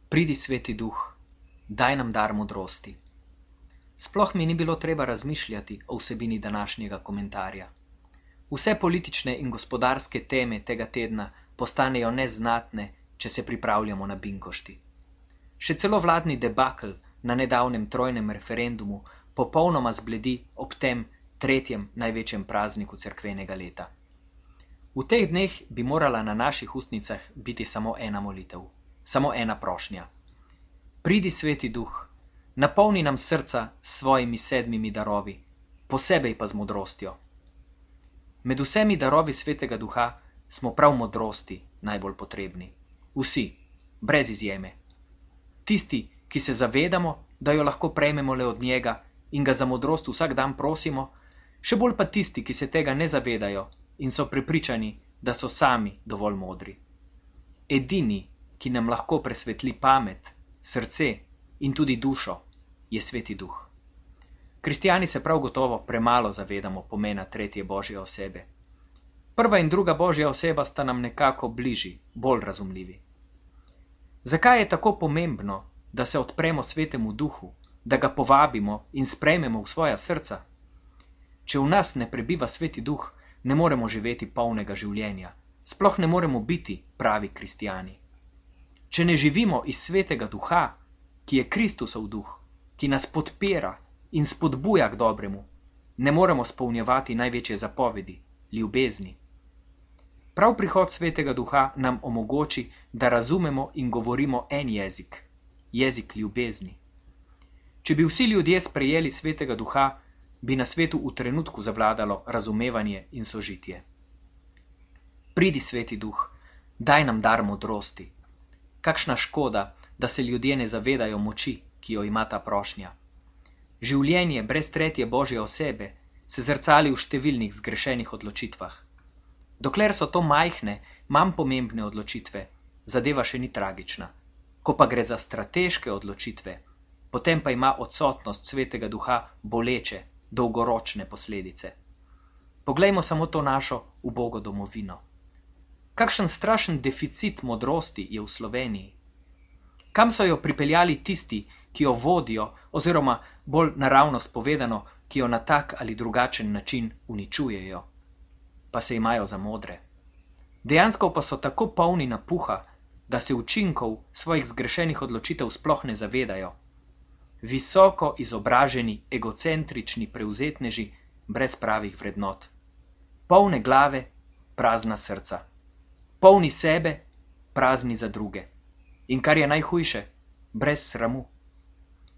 Pridi, Sveti Duh, daj nam dar modrosti. Sploh mi ni bilo treba razmišljati o vsebini današnjega komentarja. Vse politične in gospodarske teme tega tedna postanejo neznatne, če se pripravljamo na binkošti. Še celo vladni debakl na nedavnem trojnem referendumu popolnoma zbledi ob tem tretjem največjem prazniku cerkvenega leta. V teh dneh bi morala na naših ustnicah biti samo ena molitev, samo ena prošnja. Pridi, Sveti Duh, napolni nam srca s svojimi 7 darovi, posebej pa z modrostjo. Med vsemi darovi Svetega Duha smo prav modrosti najbolj potrebni. Vsi, brez izjeme. Tisti, ki se zavedamo, da jo lahko prejmemo le od njega in ga za modrost vsak dan prosimo, še bolj pa tisti, ki se tega ne zavedajo in so prepričani, da so sami dovolj modri. Edini, ki nam lahko presvetli pamet, srce in tudi dušo, je Sveti Duh. Kristjani se prav gotovo premalo zavedamo pomena tretje Božje osebe. Prva in druga Božja oseba sta nam nekako bližji, bolj razumljivi. Zakaj je tako pomembno, da se odpremo Svetemu Duhu, da ga povabimo in sprejmemo v svoja srca? Če v nas ne prebiva Sveti Duh, ne moremo živeti polnega življenja, sploh ne moremo biti pravi kristjani. Če ne živimo iz Svetega Duha, ki je Kristusov duh, ki nas podpira in spodbuja k dobremu, ne moremo spolnjevati največje zapovedi, ljubezni. Prav prihod Svetega Duha nam omogoči, da razumemo in govorimo en jezik, jezik ljubezni. Če bi vsi ljudje sprejeli Svetega Duha, bi na svetu v trenutku zavladalo razumevanje in sožitje. Pridi, Sveti Duh, daj nam dar modrosti. Kakšna škoda, da se ljudje ne zavedajo moči, ki jo ima ta prošnja. Življenje brez tretje Božje osebe se zrcali v številnih zgrešenih odločitvah. Dokler so to majhne, manj pomembne odločitve, zadeva še ni tragična. Ko pa gre za strateške odločitve, potem pa ima odsotnost Svetega Duha boleče, dolgoročne posledice. Poglejmo samo to našo ubogo domovino. Kakšen strašen deficit modrosti je v Sloveniji. Kam so jo pripeljali tisti, ki jo vodijo, oziroma bolj naravnost povedano, ki jo na tak ali drugačen način uničujejo, pa se imajo za modre. Dejansko pa so tako polni napuha, da se učinkov svojih zgrešenih odločitev sploh ne zavedajo. Visoko izobraženi, egocentrični prevzetneži brez pravih vrednot. Polne glave, prazna srca. Polni sebe, prazni za druge. In kar je najhujše, brez sramu.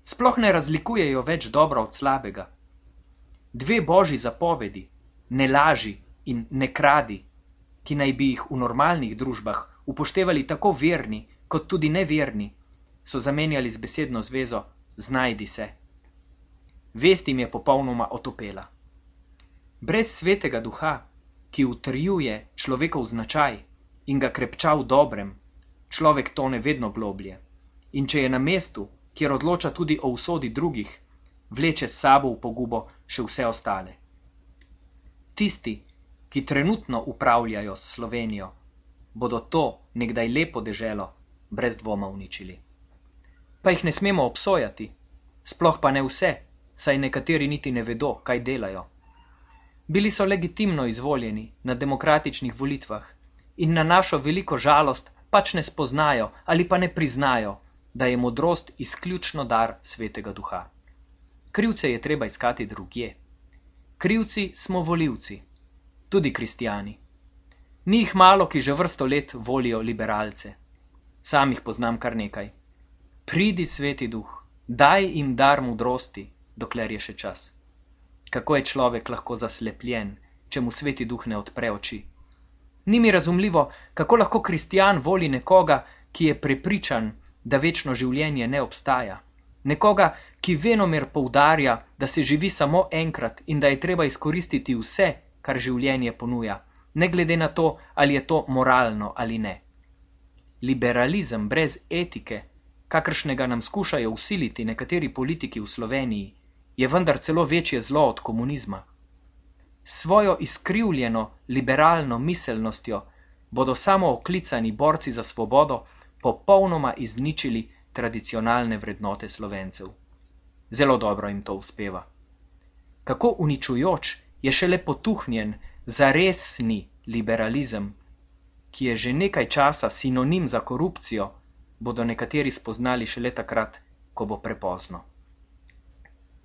Sploh ne razlikujejo več dobro od slabega. 2 božji zapovedi, ne laži in ne kradi, ki naj bi jih v normalnih družbah upoštevali tako verni kot tudi neverni, so zamenjali z besedno zvezo znajdi se. Vest jim je popolnoma otopela. Brez Svetega Duha, ki utrjuje človekov značaj in ga krepča v dobrem, človek tone vedno globlje. In če je na mestu, kjer odloča tudi o usodi drugih, vleče s sabo v pogubo še vse ostale. Tisti, ki trenutno upravljajo s Slovenijo, bodo to nekdaj lepo deželo brez dvoma uničili. Pa jih ne smemo obsojati, sploh pa ne vse, saj nekateri niti ne vedo, kaj delajo. Bili so legitimno izvoljeni na demokratičnih volitvah in na našo veliko žalost pač ne spoznajo ali pa ne priznajo, da je modrost izključno dar Svetega Duha. Krivce je treba iskati drugje. Krivci smo volivci, tudi kristjani. Ni jih malo, ki že vrsto let volijo liberalce. Sam jih poznam kar nekaj. Pridi, Sveti Duh, daj jim dar modrosti, dokler je še čas. Kako je človek lahko zaslepljen, če mu Sveti Duh ne odpre oči? Ni mi razumljivo, kako lahko kristjan voli nekoga, ki je prepričan, da večno življenje ne obstaja. Nekoga, ki venomer poudarja, da se živi samo enkrat in da je treba izkoristiti vse, kar življenje ponuja, ne glede na to, ali je to moralno ali ne. Liberalizem brez etike, kakršnega nam skušajo vsiliti nekateri politiki v Sloveniji, je vendar celo večje zlo od komunizma. Svojo izkrivljeno liberalno miselnostjo bodo samo oklicani borci za svobodo popolnoma izničili tradicionalne vrednote Slovencev. Zelo dobro jim to uspeva. Kako uničujoč je šele potuhnjen zaresni liberalizem, ki je že nekaj časa sinonim za korupcijo, bodo nekateri spoznali šele takrat, ko bo prepozno.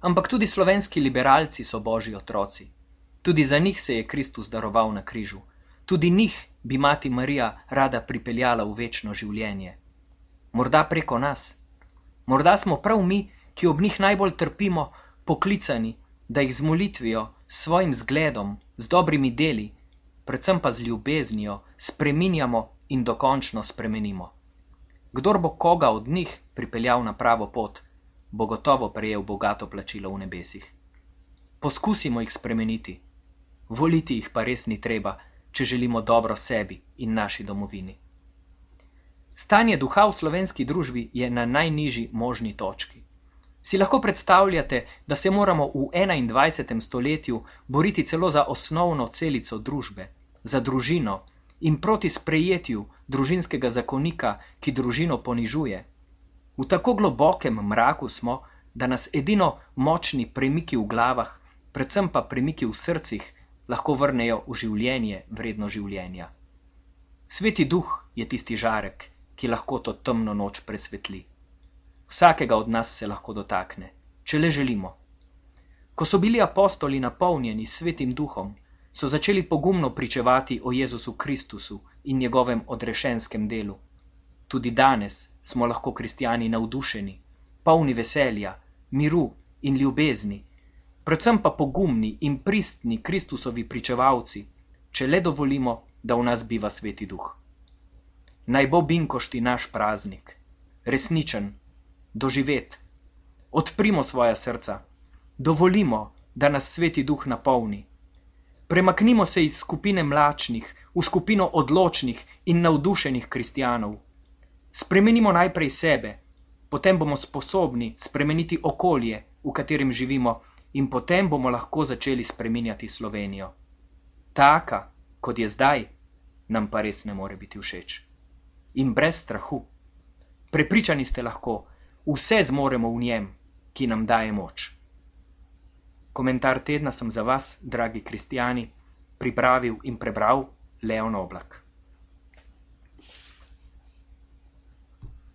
Ampak tudi slovenski liberalci so božji otroci. Tudi za njih se je Kristus daroval na križu. Tudi njih bi mati Marija rada pripeljala v večno življenje. Morda preko nas. Morda smo prav mi, ki ob njih najbolj trpimo, poklicani, da jih z molitvijo, s svojim zgledom, z dobrimi deli, predvsem pa z ljubeznijo, spreminjamo in dokončno spremenimo. Kdor bo koga od njih pripeljal na pravo pot, bo gotovo prejel bogato plačilo v nebesih. Poskusimo jih spremeniti. Voliti jih pa res ni treba, če želimo dobro sebi in naši domovini. Stanje duha v slovenski družbi je na najnižji možni točki. Si lahko predstavljate, da se moramo v 21. stoletju boriti celo za osnovno celico družbe, za družino in proti sprejetju družinskega zakonika, ki družino ponižuje. V tako globokem mraku smo, da nas edino močni premiki v glavah, predvsem pa premiki v srcih, lahko vrnejo v življenje vredno življenja. Sveti duh je tisti žarek, ki lahko to temno noč presvetli. Vsakega od nas se lahko dotakne, če le želimo. Ko so bili apostoli napolnjeni s Svetim duhom, so začeli pogumno pričevati o Jezusu Kristusu in njegovem odrešenskem delu. Tudi danes smo lahko kristjani navdušeni, polni veselja, miru in ljubezni, predvsem pa pogumni in pristni Kristusovi pričevalci, če le dovolimo, da v nas biva Sveti duh. Naj bo binkošti naš praznik, resničen, doživet. Odprimo svoja srca, dovolimo, da nas Sveti duh napolni. Premaknimo se iz skupine mlačnih v skupino odločnih in navdušenih kristjanov. Spremenimo najprej sebe, potem bomo sposobni spremeniti okolje, v katerem živimo, in potem bomo lahko začeli spreminjati Slovenijo. Taka, kot je zdaj, nam pa res ne more biti všeč. In brez strahu. Prepričani ste lahko, vse zmoremo v njem, ki nam daje moč. Komentar tedna sem za vas, dragi kristjani, pripravil in prebral Leon Oblak.